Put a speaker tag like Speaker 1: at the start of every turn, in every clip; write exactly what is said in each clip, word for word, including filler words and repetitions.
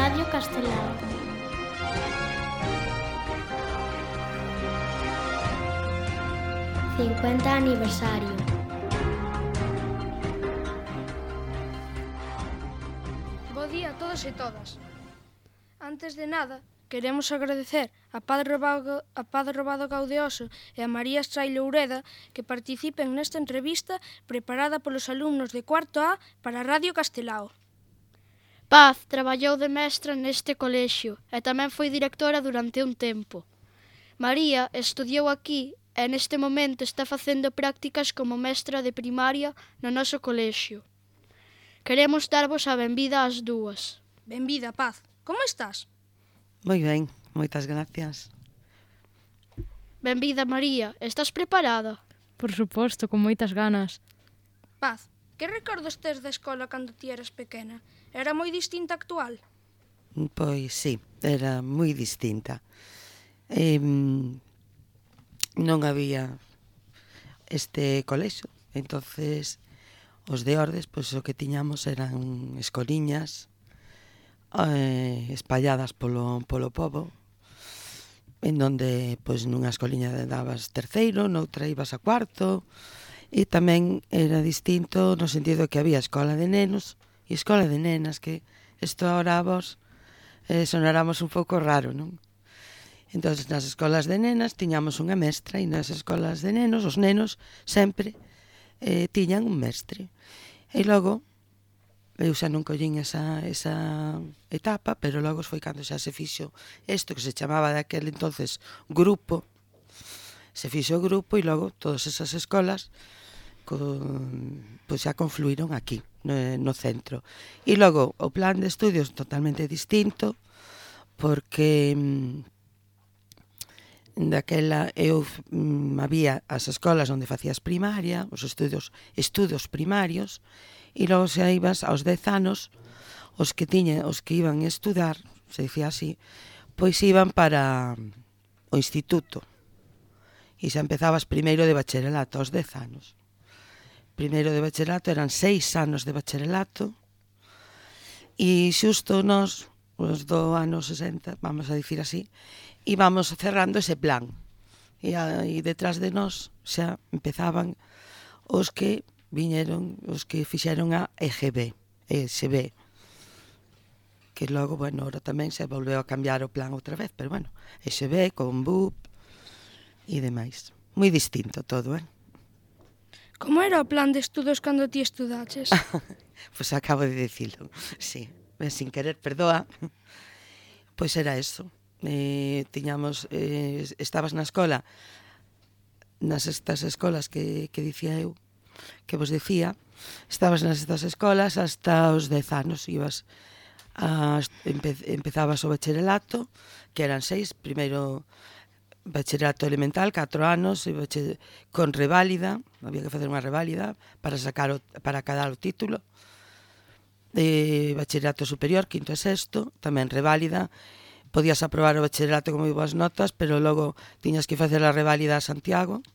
Speaker 1: Radio Castelao. cincuenta aniversario.
Speaker 2: Bo día a todos e todas. Antes de nada, queremos agradecer a Padre Robado, a Padre Robado Gaudioso e a María Estrailo Ureda que participen nesta entrevista preparada polos alumnos de cuarto A para Radio Castelao.
Speaker 3: Paz traballou de mestra neste colexio e tamén foi directora durante un tempo. María estudiou aquí e neste momento está facendo prácticas como mestra de primaria no noso colexio. Queremos darvos a benvida ás dúas.
Speaker 2: Benvida, Paz. Como estás?
Speaker 4: Moi ben, moitas gracias.
Speaker 3: Benvida, María. Estás preparada?
Speaker 5: Por suposto, con moitas ganas.
Speaker 2: Paz, que recordos tes da escola cando ti eras pequena? Era moi distinta a actual?
Speaker 4: Pois sí, era moi distinta. Eh, non había este colexo, entonces os de Ordes, pois o que tiñamos eran escoliñas eh, espalladas polo, polo pobo, en donde pois nunha escoliña dabas terceiro, noutra ibas a cuarto, e tamén era distinto no sentido que había escola de nenos e escola de nenas, que isto ahora a vos eh, sonáramos un pouco raro, non? Entón, nas escolas de nenas tiñamos unha mestra e nas escolas de nenos, os nenos sempre eh, tiñan un mestre. E logo, eu xa non collín esa, esa etapa, pero logo foi cando xa se fixo isto que se chamaba daquel entonces grupo, se fixo o grupo e logo todas esas escolas con, pois xa confluíron aquí, no, no centro. E logo o plan de estudios totalmente distinto, porque daquela eu mm, había as escolas onde facías primaria, os estudios estudos primarios, e logo xa ibas aos dez anos, os que tiña, os que iban a estudar, se dicía así, pois iban para o instituto. E xa empezabas primeiro de bacharelato aos dez anos. Primeiro de bacharelato eran seis anos de bacharelato, e xusto nos, os do ano sesenta, vamos a dicir así, íbamos cerrando ese plan. E, a, e detrás de nós xa empezaban os que viñeron, os que fixeron a E G B, E S B, que logo, bueno, ahora tamén se volveu a cambiar o plan outra vez, pero bueno, E S B, con B U P e demais. Moi distinto todo, eh?
Speaker 2: Como era o plan de estudos cando ti estudaches?
Speaker 4: Pois acabo de dicilo, sí, sin querer, perdoa. Pois era eso. Eh, tiñamos, eh, estabas na escola, nas estas escolas que, que dicía eu, que vos dicía, estabas nas estas escolas hasta os dez anos, ibas a, empe, empezabas o bacharelato, que eran seis, primeiro bacharelato elemental, catro anos, e bacher, con reválida, había que facer unha reválida para sacar o, para acadar o título, de bacharelato superior, quinto e sexto, tamén reválida, podías aprobar o bacharelato con moi boas notas, pero logo tiñas que facer a reválida a Santiago,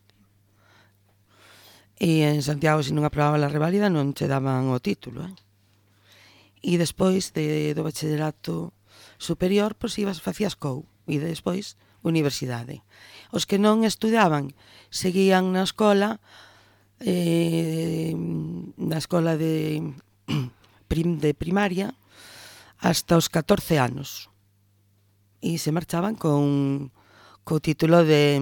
Speaker 4: e en Santiago, se non aprobaba a reválida, non che daban o título, eh? E despois de, do bacharelato superior, pois ibas, facías C O U, e despois universidade. Os que non estudaban seguían na escola, eh, na escola de, prim, de primaria, hasta os catorce anos. E se marchaban con co título de,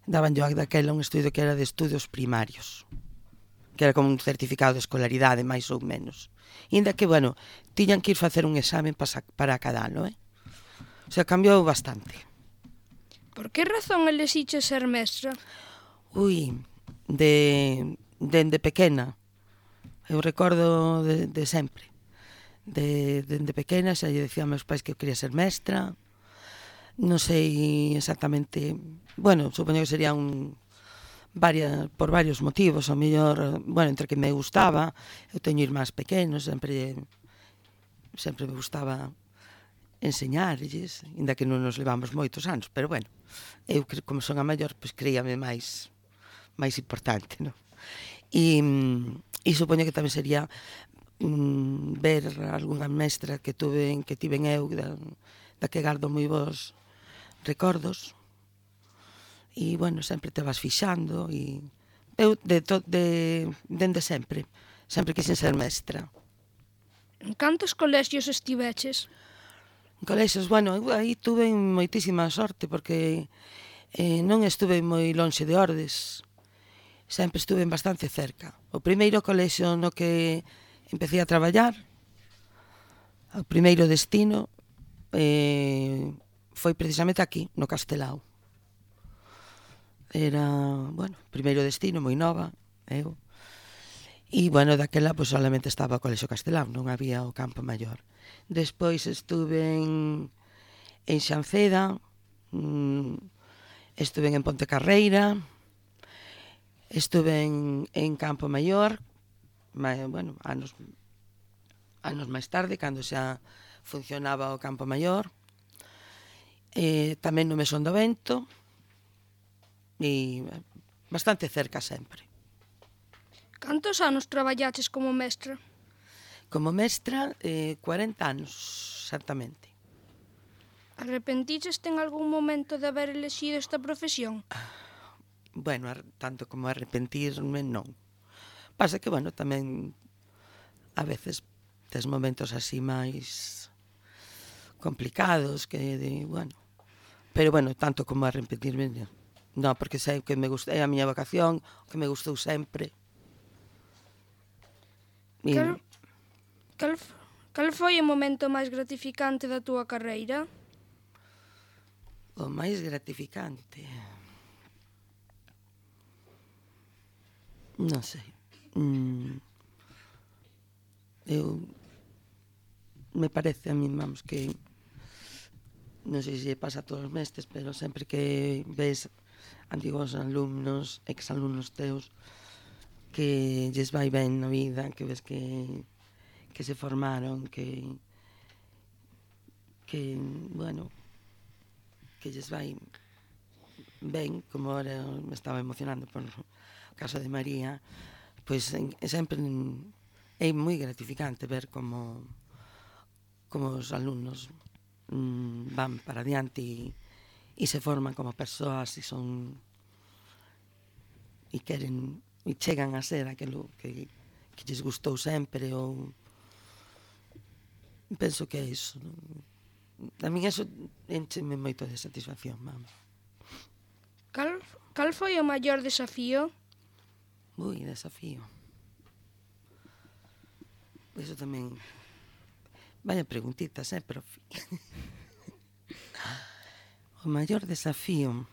Speaker 4: daban yo daquela un estudio que era de estudios primarios, que era como un certificado de escolaridade, máis ou menos. E ainda que, bueno, tiñan que ir facer un examen para, para cada ano, eh? O sea, cambiou bastante.
Speaker 2: Por que razón elixiches ser mestra?
Speaker 4: Ui, de, dende pequena. Eu recordo de, de sempre. De, dende pequena xa lle decía a meus pais que eu quería ser mestra. Non sei exactamente... Bueno, supoño que sería un... Varias, por varios motivos, o mellor, bueno, entre que me gustaba, eu teño irmáns pequenos, sempre sempre me gustaba enseñarlles, inda que non nos levamos moitos anos, pero bueno, eu como son a maior, pois creíame máis máis importante, non? E, e supoño que tamén sería mm, ver algunha mestra que tuve que tiven eu da, da que gardo moi bons recordos. E, bueno, sempre te vas fixando e eu de, to, de, dende sempre sempre quixen ser mestra.
Speaker 2: En cantos colexios estiveches?
Speaker 4: En colexios, bueno, eu aí tuve moitísima sorte porque eh, non estuve moi lonxe de Ordes, sempre estuve bastante cerca. O primeiro colexio no que empecé a traballar, o primeiro destino, eh, foi precisamente aquí, no Castelao. Era, bueno, primeiro destino, moi nova, eu. E, bueno, daquela, pois, solamente estaba o Colexio Castelao, non había o Campo Maior. Despois estuve en, en Xanceda, mmm, estuve en Ponte Carreira, estuve en, en Campo Maior, ma, bueno, anos, anos máis tarde, cando xa funcionaba o Campo Maior, eh, tamén no Mesón do Vento, e bastante cerca sempre.
Speaker 2: Cantos anos traballaches como mestra?
Speaker 4: Como mestra, eh, cuarenta anos, exactamente.
Speaker 2: Arrepentiches en algún momento de haber elexido esta profesión?
Speaker 4: Bueno, tanto como arrepentirme, non. Pasa que, bueno, tamén a veces tes momentos así máis complicados que, de, bueno, pero, bueno, tanto como arrepentirme, non, porque sei que me gusta, é a miña vocación, que me gustou sempre. E...
Speaker 2: Cal, cal, cal foi o momento máis gratificante da túa carreira?
Speaker 4: O máis gratificante... Non sei. Mm, eu... Me parece a mí, vamos, que... Non sei se pasa a todos os mestres, pero sempre que ves antigos alumnos, exalumnos teus, que lles vai ben na vida, que ves que, que se formaron, que, que, bueno, que lles vai ben, como ahora me estaba emocionando por o caso de María, pois pues, sempre é moi gratificante ver como, como os alumnos mm, van para adiante e, e se forman como persoas e son e queren e chegan a ser aquilo que, que lles gustou sempre ou penso que é iso. A mí eso encheme moito de satisfacción, vamos.
Speaker 2: Cal, cal foi o maior desafío?
Speaker 4: Ui, desafío. Eso tamén... Vaya preguntitas, eh, profe? O maior desafío...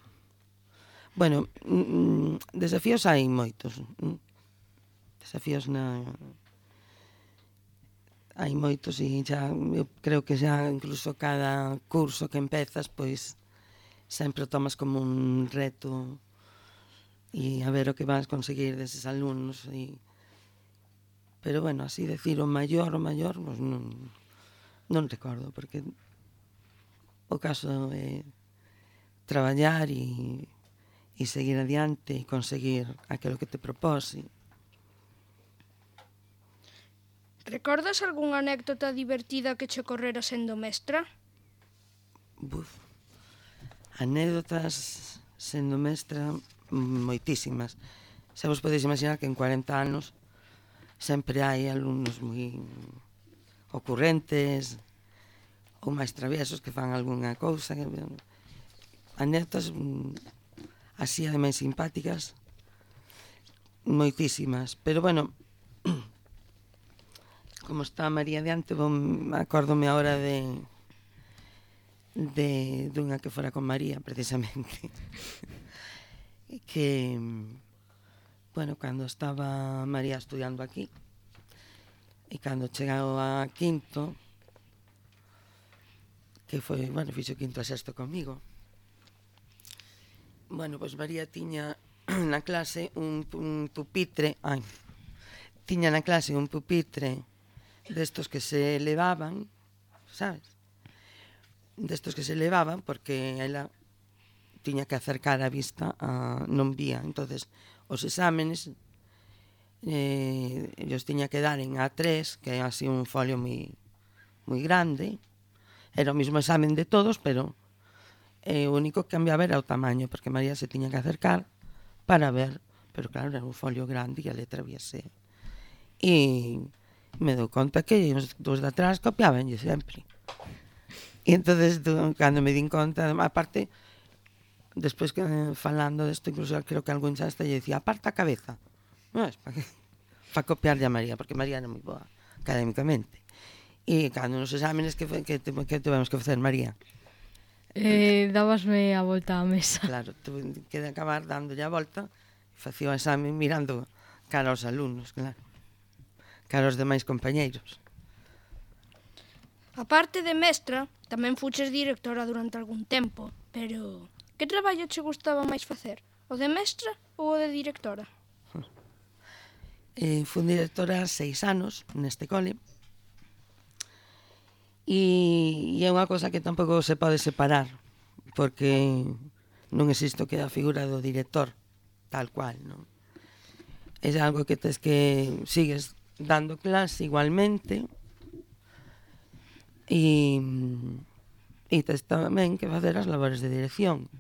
Speaker 4: Bueno, mm, desafíos hai moitos. Desafíos na... Hai moitos e xa, eu creo que xa incluso cada curso que empezas, pois sempre o tomas como un reto e a ver o que vas conseguir deses alumnos e... Pero bueno, así decir o maior, o maior, pois non, non recordo, porque o caso é traballar e e seguir adiante e conseguir aquilo que te propose.
Speaker 2: Recordas algunha anécdota divertida que che ocorrera sendo mestra?
Speaker 4: Buf. Anécdotas sendo mestra moitísimas. Xa vos podeis imaginar que en cuarenta anos sempre hai alumnos moi ocurrentes ou máis traviesos que fan algunha cousa. Anécdotas así ademais simpáticas moitísimas, pero bueno, como está María diante, acórdome agora de de dunha que fora con María precisamente que bueno, cando estaba María estudiando aquí e cando chegou a quinto, que foi, bueno, fixo quinto a sexto comigo. Bueno, pois María tiña na clase un, un pupitre, ai, tiña na clase un pupitre destos que se elevaban, sabes? Destos que se elevaban porque ela tiña que acercar a vista a non vía, entonces os exámenes eh, ellos tiña que dar en A tres, que é así un folio moi, moi grande. Era o mismo examen de todos, pero eh, o único que cambiaba era o tamaño, porque María se tiña que acercar para ver, pero claro, era un folio grande e a letra víase. E me dou conta que os dos de atrás copiabanlle sempre. E entonces, cando me din conta, aparte, despois que falando desto, incluso creo que algún xa lle dicía, aparta a cabeza. Non é para pa copiarlle a María, porque María era moi boa académicamente. E cando nos exámenes que, que, que tivemos que facer, María?
Speaker 5: Eh, dabasme a volta á mesa.
Speaker 4: Claro, tuve que acabar dándolle a volta e facía o examen mirando cara aos alumnos, claro. Cara aos demais compañeiros.
Speaker 2: A parte de mestra, tamén fuches directora durante algún tempo, pero que traballo che gustaba máis facer? O de mestra ou o de directora?
Speaker 4: Eh, fui directora seis anos neste cole e, e é unha cosa que tampouco se pode separar, porque non existe o que é a figura do director tal cual, non? É algo que tes que sigues dando clase igualmente e, e tes tamén que facer as labores de dirección.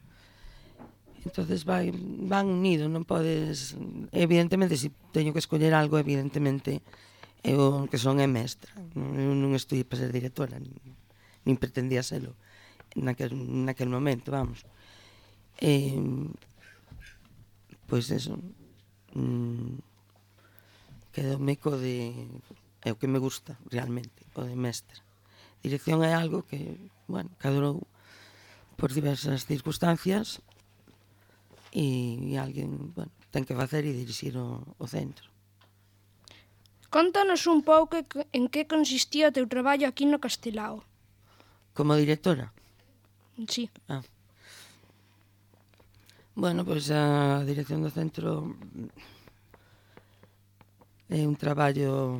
Speaker 4: Entonces vai, van unidos, non podes... Evidentemente, se si teño que escoller algo, evidentemente, eu que son é mestra. Eu non estudei para ser directora, nin, nin pretendía serlo naquel, naquel momento, vamos. Eh, pois eso, mm, quedoume co de... É o que me gusta, realmente, o de mestra. Dirección é algo que, bueno, cadrou por diversas circunstancias e, e alguén, bueno, ten que facer e dirixir o, o centro.
Speaker 2: Contanos un pouco en que consistía o teu traballo aquí no Castelao.
Speaker 4: Como directora?
Speaker 2: Sí.
Speaker 4: Ah. Bueno, pois a dirección do centro é un traballo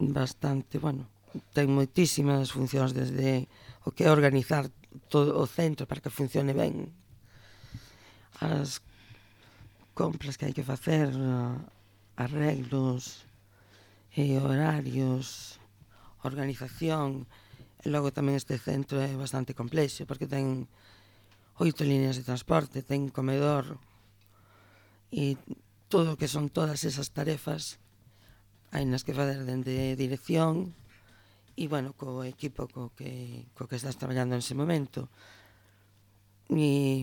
Speaker 4: bastante, bueno, ten moitísimas funcións, desde o que é organizar todo o centro para que funcione ben, as compras que hai que facer, arreglos, eh, horarios, organización. E logo tamén este centro é bastante complexo, porque ten oito líneas de transporte, ten comedor, e todo o que son todas esas tarefas hai nas que fazer dende dirección e, bueno, co equipo co que, co que estás traballando en ese momento. E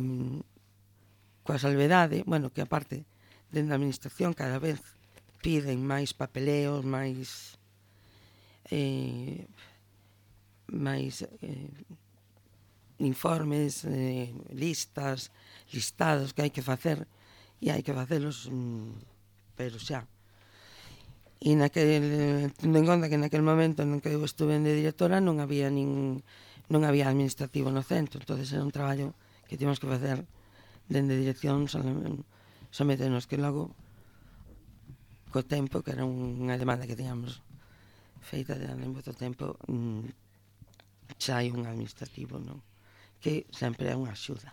Speaker 4: coa salvedade, bueno, que aparte dentro da administración cada vez piden máis papeleos, máis eh, máis eh, informes, eh, listas, listados que hai que facer, e hai que facelos, mm, pero xa. E naquel, tendo en conta que naquel momento en que eu estuve de directora non había nin, non había administrativo no centro, entonces era un traballo que tivemos que facer dende dirección, someternos, que logo co tempo, que era unha demanda que teníamos feita de en moito tempo, mmm, xa hai un administrativo, non? Que sempre é unha axuda.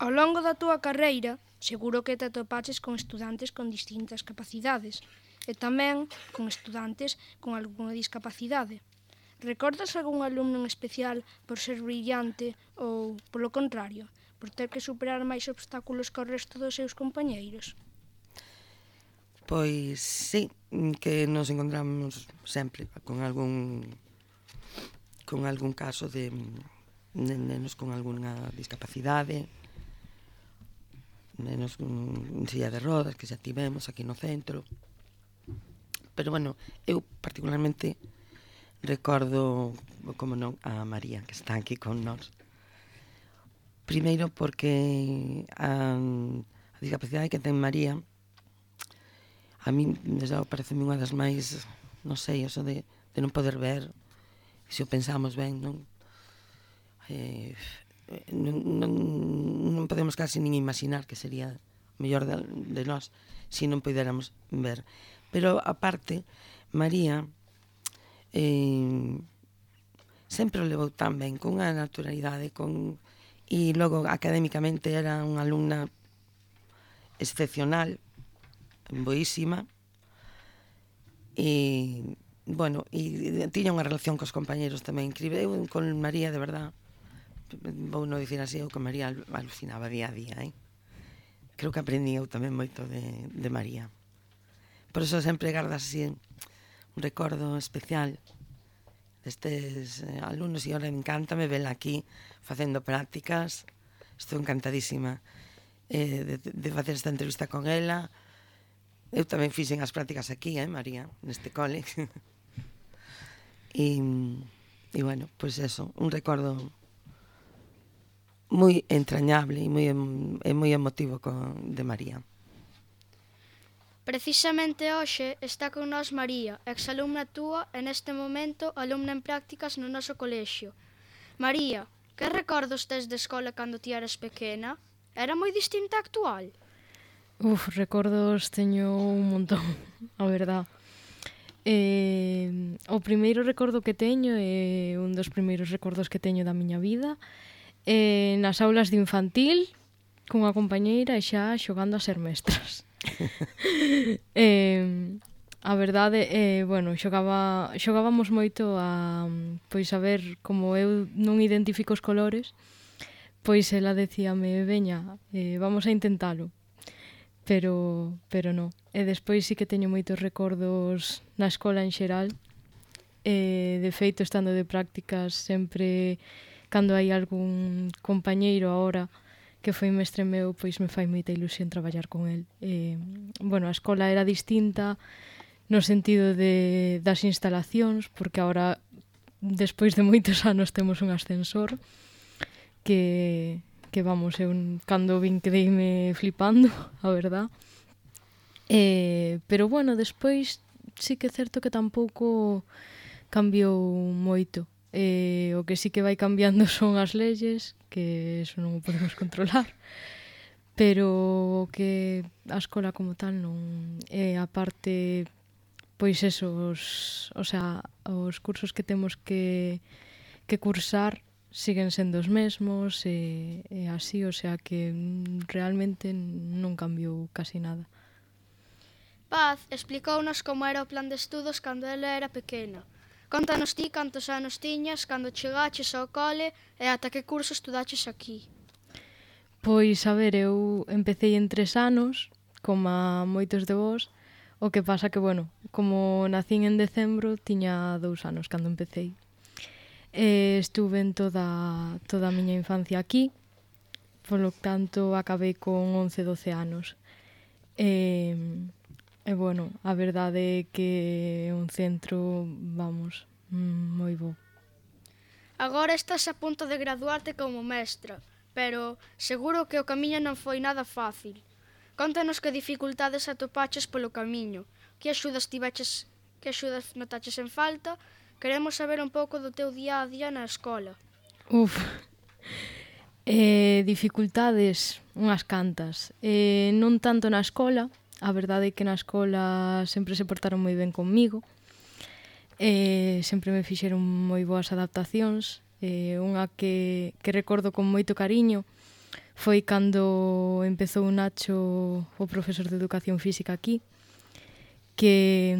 Speaker 2: Ao longo da túa carreira, seguro que te atopaches con estudantes con distintas capacidades e tamén con estudantes con algunha discapacidade. Recordas algún alumno en especial por ser brillante ou, polo contrario, por ter que superar máis obstáculos que o resto dos seus compañeiros?
Speaker 4: Pois sí, que nos encontramos sempre con algún con algún caso de, de nenos con algunha discapacidade, menos en silla de rodas que xa tivemos aquí no centro. Pero bueno, eu particularmente recordo, como non, a María, que está aquí con nós. Primeiro porque a, a discapacidade que ten María a mí, desde logo, parece unha das máis, non sei, eso de, de non poder ver, se o pensamos ben, non? Eh, non, non, non podemos casi nin imaginar que sería mellor de, de nós se non puderamos ver. Pero, aparte, María eh, sempre o levou tan ben, con unha naturalidade, con... e logo, académicamente, era unha alumna excepcional, boísima, e, bueno, e tiña unha relación cos compañeros tamén increíble. Eu con María, de verdad, vou non dicir así, eu con María alucinaba día a día, eh? Creo que aprendí eu tamén moito de, de María. Por eso sempre gardas así un recordo especial destes eh, alumnos, e ahora encántame verla aquí facendo prácticas. Estou encantadísima eh, de, de facer esta entrevista con ela. Eu tamén fixen as prácticas aquí, eh, María, neste cole. e, e bueno, pois pues eso, un recordo moi entrañable e moi, e moi emotivo con, de María.
Speaker 3: Precisamente hoxe está con nós María, exalumna túa e neste momento alumna en prácticas no noso colexio. María, que recordos tes de escola cando ti eras pequena? Era moi distinta a actual?
Speaker 5: Uf, recordos teño un montón, a verdad. Eh, o primeiro recordo que teño é un dos primeiros recordos que teño da miña vida, eh, nas aulas de infantil, cunha compañeira e xa xogando a ser mestras. eh, a verdade é, eh, bueno, xogaba, xogábamos moito a, pois a ver, como eu non identifico os colores, pois ela decíame, veña, eh, vamos a intentalo. Pero, pero non. E despois sí que teño moitos recordos na escola en xeral. E, de feito, estando de prácticas, sempre, cando hai algún compañeiro ahora que foi mestre meu, pois me fai moita ilusión traballar con el. E, bueno, a escola era distinta no sentido de, das instalacións, porque agora, despois de moitos anos, temos un ascensor que, que vamos, eu cando vin quedeime flipando, a verdad. E, pero, bueno, despois sí que é certo que tampouco cambiou moito. E, o que sí que vai cambiando son as leyes, que eso non o podemos controlar, pero que a escola como tal non é a parte, pois esos, o sea, os cursos que temos que, que cursar siguen sendo os mesmos e, e así, o sea que realmente non cambiou casi nada.
Speaker 3: Paz explicounos como era o plan de estudos cando ela era pequena. Contanos ti cantos anos tiñas cando chegaches ao cole e ata que curso estudaches aquí.
Speaker 5: Pois, a ver, eu empecé en tres anos, como a moitos de vós, o que pasa que, bueno, como nacín en decembro, tiña dous anos cando empecé. E estuve en toda, toda a miña infancia aquí, polo tanto acabei con once, doce anos. E... E, bueno, a verdade é que é un centro, vamos, moi bo.
Speaker 3: Agora estás a punto de graduarte como mestra, pero seguro que o camiño non foi nada fácil. Contanos que dificultades atopaches polo camiño, que axudas tiveches, que axudas notaches en falta. Queremos saber un pouco do teu día a día na escola.
Speaker 5: Uf, eh, dificultades, unhas cantas. Eh, non tanto na escola. A verdade é que na escola sempre se portaron moi ben comigo, e sempre me fixeron moi boas adaptacións. E unha que, que recordo con moito cariño foi cando empezou Nacho, o profesor de educación física aquí, que,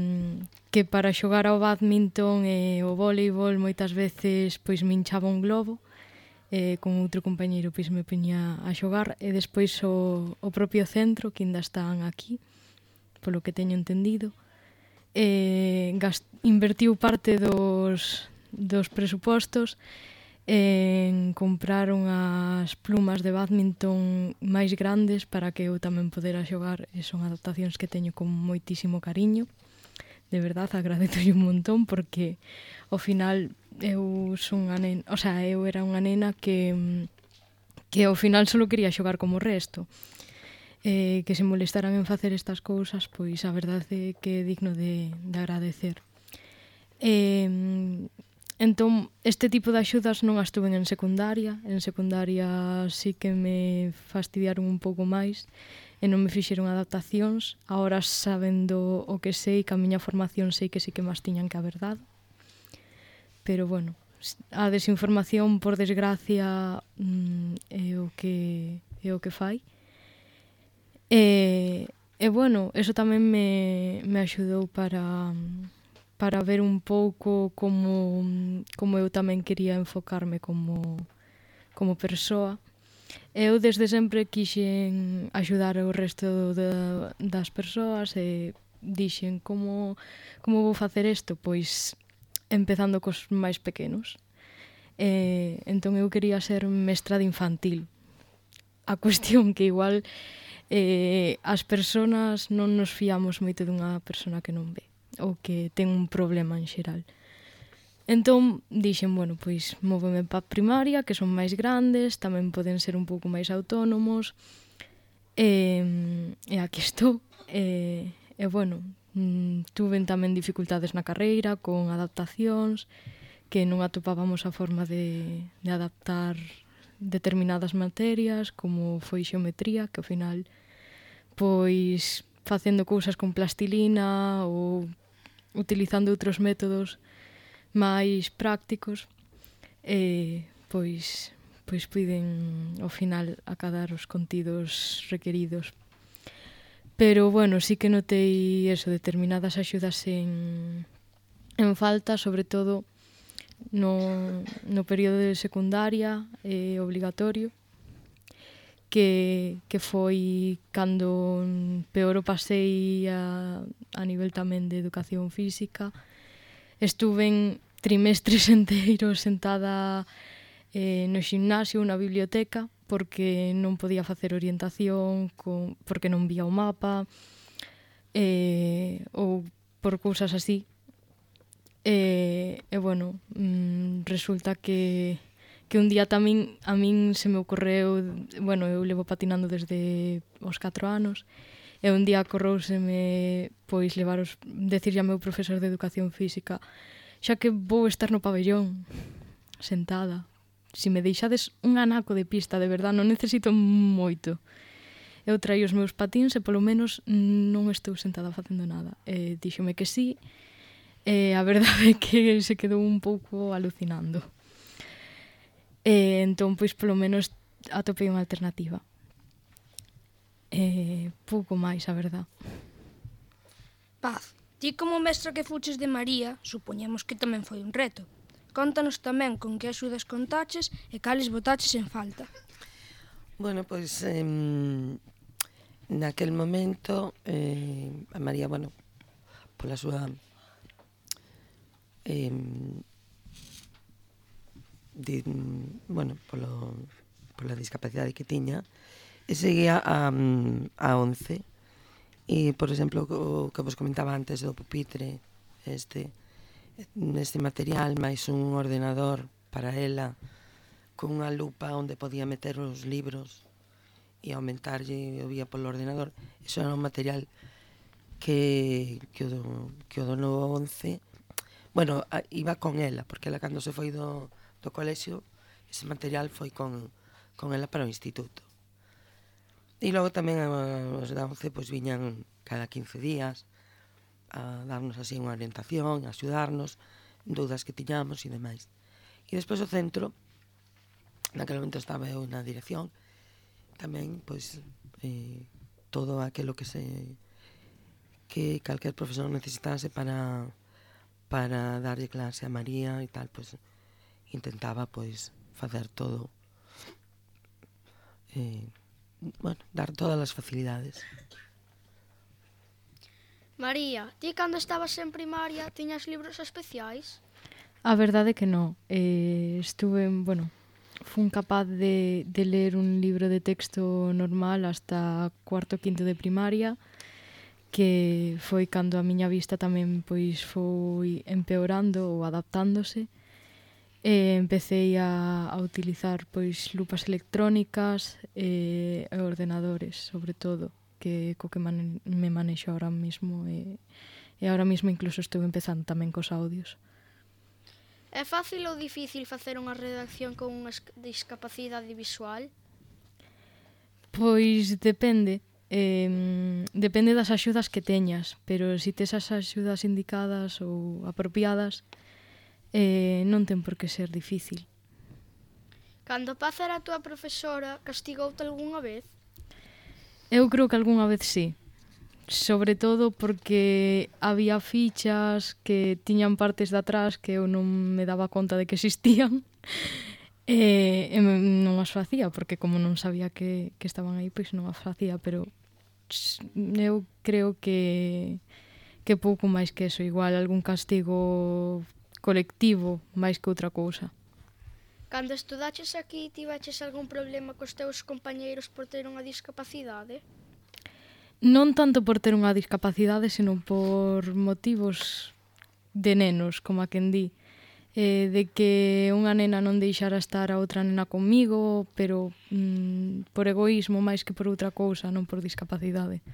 Speaker 5: que para xogar ao bádminton e o voleibol moitas veces pois me hinchaba un globo, e con outro compañeiro pois me poñía a xogar, e despois o, o propio centro, que ainda están aquí, polo que teño entendido, eh, gast, invertiu parte dos, dos presupostos en comprar unhas plumas de bádminton máis grandes para que eu tamén podera xogar, e son adaptacións que teño con moitísimo cariño. De verdad, agradezo un montón, porque ao final eu son unha nena, o sea, eu era unha nena que que ao final só quería xogar como o resto. Eh, que se molestaran en facer estas cousas, pois a verdade é que é digno de, de agradecer. Eh, entón, este tipo de axudas non as tuve en secundaria. En secundaria sí que me fastidiaron un pouco máis e non me fixeron adaptacións. Ahora, sabendo o que sei, que a miña formación sei que sí que máis tiñan que haber dado. Pero, bueno, a desinformación, por desgracia, é o que, é o que fai. E, e bueno, eso tamén me, me axudou para, para ver un pouco como, como eu tamén quería enfocarme como, como persoa. Eu desde sempre quixen axudar o resto de, das persoas e dixen como, como vou facer isto? Pois empezando cos máis pequenos. E, entón eu quería ser mestra de infantil. A cuestión que igual eh, as persoas non nos fiamos moito dunha persona que non ve ou que ten un problema en xeral. Entón, dixen, bueno, pois móveme pa primaria, que son máis grandes, tamén poden ser un pouco máis autónomos, e, e aquí estou. E, e bueno, tuven tamén dificultades na carreira, con adaptacións, que non atopábamos a forma de, de adaptar determinadas materias, como foi xeometría, que ao final, pois, facendo cousas con plastilina ou utilizando outros métodos máis prácticos, e pois pois puiden ao final acadar os contidos requeridos. Pero bueno, sí que notei eso, determinadas axudas en en falta, sobre todo no, no período de secundaria eh, obligatorio, que, que foi cando peor o pasei a, a nivel tamén de educación física. Estuve trimestres enteiros sentada eh, no ximnasio, na biblioteca, porque non podía facer orientación, con, porque non vía o mapa, eh, ou por cousas así. E, e bueno, mm, resulta que, que un día tamén a min se me ocorreu, bueno, eu levo patinando desde os catro anos, e un día corrouseme pois levar os, decirlle ao meu profesor de educación física, xa que vou estar no pabellón sentada, si me deixades un anaco de pista, de verdad, non necesito moito. Eu traio os meus patíns e polo menos non estou sentada facendo nada. E díxome que sí, e a verdade é que se quedou un pouco alucinando. E entón, pois, polo menos atopei unha alternativa. E pouco máis, a verdad.
Speaker 2: Paz, ti como mestra que fuches de María, supoñemos que tamén foi un reto. Contanos tamén con que axudas contaches e cales botaches en falta.
Speaker 4: Bueno, pois eh, naquel momento eh, a María, bueno, pola súa eh, di, bueno, polo, pola discapacidade que tiña, e seguía a, a once. E, por exemplo, o que vos comentaba antes do pupitre, este, este material, máis un ordenador para ela, con unha lupa onde podía meter os libros e aumentarlle o vía polo ordenador. Iso era un material que, que, o, do, que o dono once, bueno, a, iba con ela, porque ela cando se foi do, do colexio, ese material foi con, con ela para o instituto. E logo tamén os da once pois, viñan cada quince días a darnos así unha orientación, a axudarnos, dúdas que tiñamos e demais. E despois o centro, naquele momento estaba eu na dirección, tamén, pois, eh, todo aquilo que se que calquer profesor necesitase para para darlle clase a María e tal, pois, intentaba, pois, facer todo, eh, bueno, dar todas as facilidades.
Speaker 3: María, ti cando estabas en primaria tiñas libros especiais?
Speaker 5: A verdade é que non. Eh, estuve, bueno, fun capaz de, de ler un libro de texto normal hasta cuarto quinto de primaria, que foi cando a miña vista tamén pois foi empeorando ou adaptándose. E empecé a, a utilizar pois lupas electrónicas e, e ordenadores, sobre todo, que co que man, me manexo ahora mismo e, e ahora mismo incluso estou empezando tamén cos audios.
Speaker 3: É fácil ou difícil facer unha redacción con unha discapacidade visual?
Speaker 5: Pois depende. Eh, depende das axudas que teñas, pero se tes as axudas indicadas ou apropiadas, eh, non ten por que ser difícil.
Speaker 3: Cando Paz era a túa profesora, castigoute algunha vez?
Speaker 5: Eu creo que algunha vez sí. Sobre todo porque había fichas que tiñan partes de atrás que eu non me daba conta de que existían e, e non as facía, porque como non sabía que, que estaban aí, pois non as facía, pero eu creo que que pouco máis que eso, igual algún castigo colectivo máis que outra cousa.
Speaker 3: Cando estudaches aquí, tiveches algún problema cos teus compañeiros por ter unha discapacidade?
Speaker 5: Non tanto por ter unha discapacidade, senón por motivos de nenos, como a quen di. Eh, de que unha nena non deixara estar a outra nena comigo, pero mm, por egoísmo máis que por outra cousa, non por discapacidade.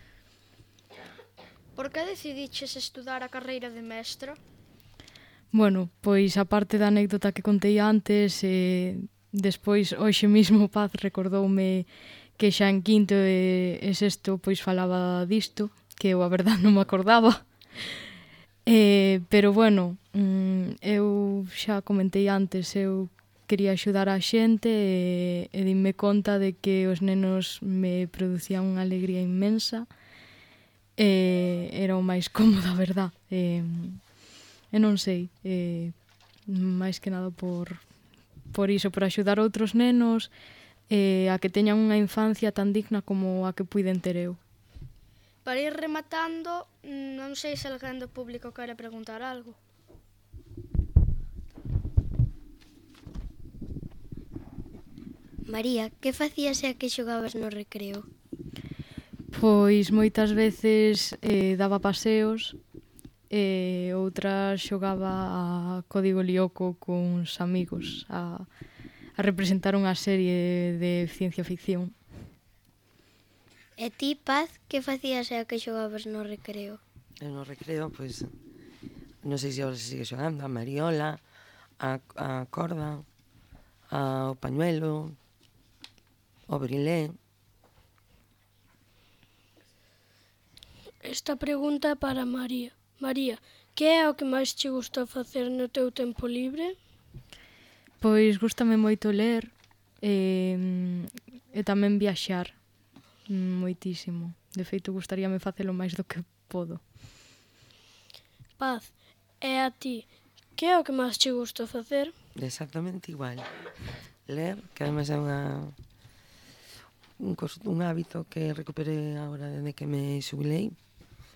Speaker 3: Por que decidiches estudar a carreira de mestra?
Speaker 5: Bueno, pois a parte da anécdota que contei antes, eh, despois hoxe mismo Paz recordoume que xa en quinto e, e sexto pois falaba disto, que eu a verdade non me acordaba. Eh, pero bueno, mm, eu xa comentei antes, eu quería axudar a xente e, e dime conta de que os nenos me producían unha alegría inmensa e era o máis cómodo, a verdad. E, e non sei, e, máis que nada por, por iso, por axudar outros nenos e a que teñan unha infancia tan digna como a que puiden ter eu.
Speaker 3: Para ir rematando, non sei se alguén do público quere preguntar algo.
Speaker 1: María, que facías e a que xogabas no recreo?
Speaker 5: Pois moitas veces eh, daba paseos e outras xogaba a Código Lyoko cuns amigos a, a representar unha serie de ciencia ficción.
Speaker 1: E ti, Paz, que facías e a que xogabas no recreo?
Speaker 4: Eu no recreo, pois, non sei se agora se sigue xogando, a mariola, a, a corda, a, o pañuelo, o brilé.
Speaker 6: Esta pregunta é para María. María, que é o que máis che gusta facer no teu tempo libre?
Speaker 5: Pois gústame moito ler e, e tamén viaxar moitísimo. De feito, gustaríame facelo máis do que podo.
Speaker 6: Paz, e a ti, que é o que máis che gusta facer?
Speaker 4: Exactamente igual. Ler, que ademais é unha, un, cos, un hábito que recuperei agora desde que me xubilei,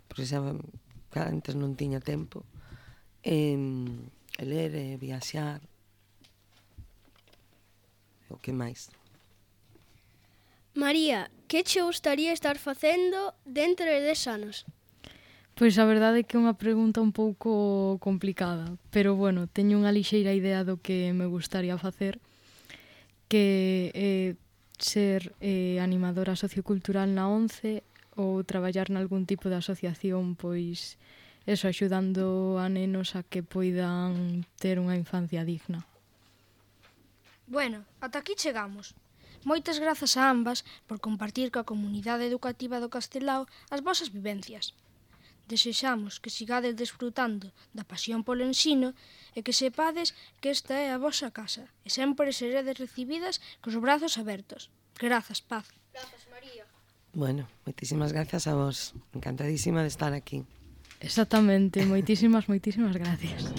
Speaker 4: porque xa antes non tiña tempo. E, e ler e viaxar. O que máis?
Speaker 6: María, que che gustaría estar facendo dentro de dez anos?
Speaker 5: Pois a verdade é que é unha pregunta un pouco complicada, pero bueno, teño unha lixeira idea do que me gustaría facer, que é ser eh, animadora sociocultural na ONCE ou traballar nalgún tipo de asociación, pois eso, axudando a nenos a que poidan ter unha infancia digna.
Speaker 2: Bueno, ata aquí chegamos. Moitas grazas a ambas por compartir coa comunidade educativa do Castelao as vosas vivencias. Desexamos que sigades desfrutando da pasión polo ensino e que sepades que esta é a vosa casa e sempre seredes recibidas cos brazos abertos. Grazas, Paz.
Speaker 3: Grazas, María.
Speaker 4: Bueno, moitísimas gracias a vos. Encantadísima de estar aquí.
Speaker 5: Exactamente, moitísimas, moitísimas gracias.